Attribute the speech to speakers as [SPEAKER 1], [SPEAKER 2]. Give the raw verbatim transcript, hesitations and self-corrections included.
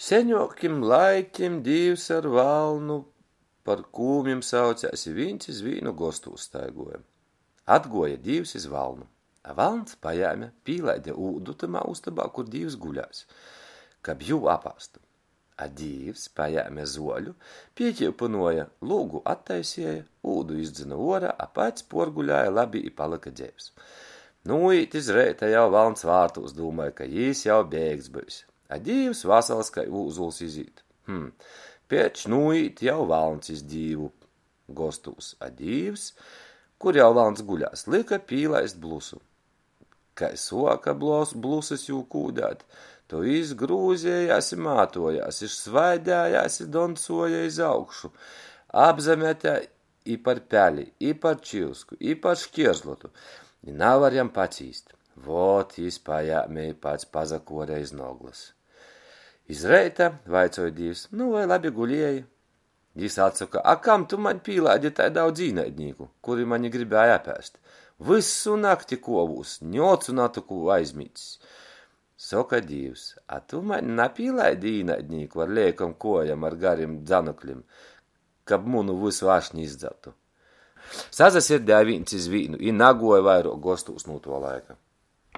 [SPEAKER 1] Seņuokim laikim Dīvs ar valnu par kūmim saucēs i vīns iz vīnu gostūs staiguoja. Atguoja Dīvs iz valnu, a valns pajēme, pīlaide ūdu tymā ustobā, kur Dīvs guļās, kab jū apāstu. A Dīvs pajēme zuoļu, pīkiupynuoja, lūgu attaiseja, ūdu izdzyna uorā, a pats puorgulēja labi i palyka dzeivs. Nūīt iz reita jau valns vārtūs, dūmoj, ka jis jau beigts byus. A Dīvs vasals kai ūzuls izīt. Hm, pieč nūīt jau valns iz Dīvu gostūs, a Dīvs, kur jau valns guļās, lyka pīlaist blusu. Kai suoka blos, blusys jū kūdēt, to jis grūzējās i mātuojās, i svaidējās i doncuoja iz augšu. Apzamete i par peli, i par čyusku, i par škierzlotu, i navar jam pacīst. Vot jis pajēme i pats pasakuore iz noglys. Iz reita vaicoj Dīvs: "Nu, voi labi gulieji?" Jis atsoka: "A kam tu maņ pīlaidi tai daudz īnaidnīku, kuri mani gribēja apēst? Vysu nakti kuovūs, ni ocu natyku aizmīdzs." Soka Dīvs: "A tu maņ napīlaidi īnaidnīku ar leikom kuojom ar garim dzanaklim, kab munu vysu ašni izdzartu?" Sasasirdēja vīns iz vīnu i naguoja vairuok gostūs nu tuo laika.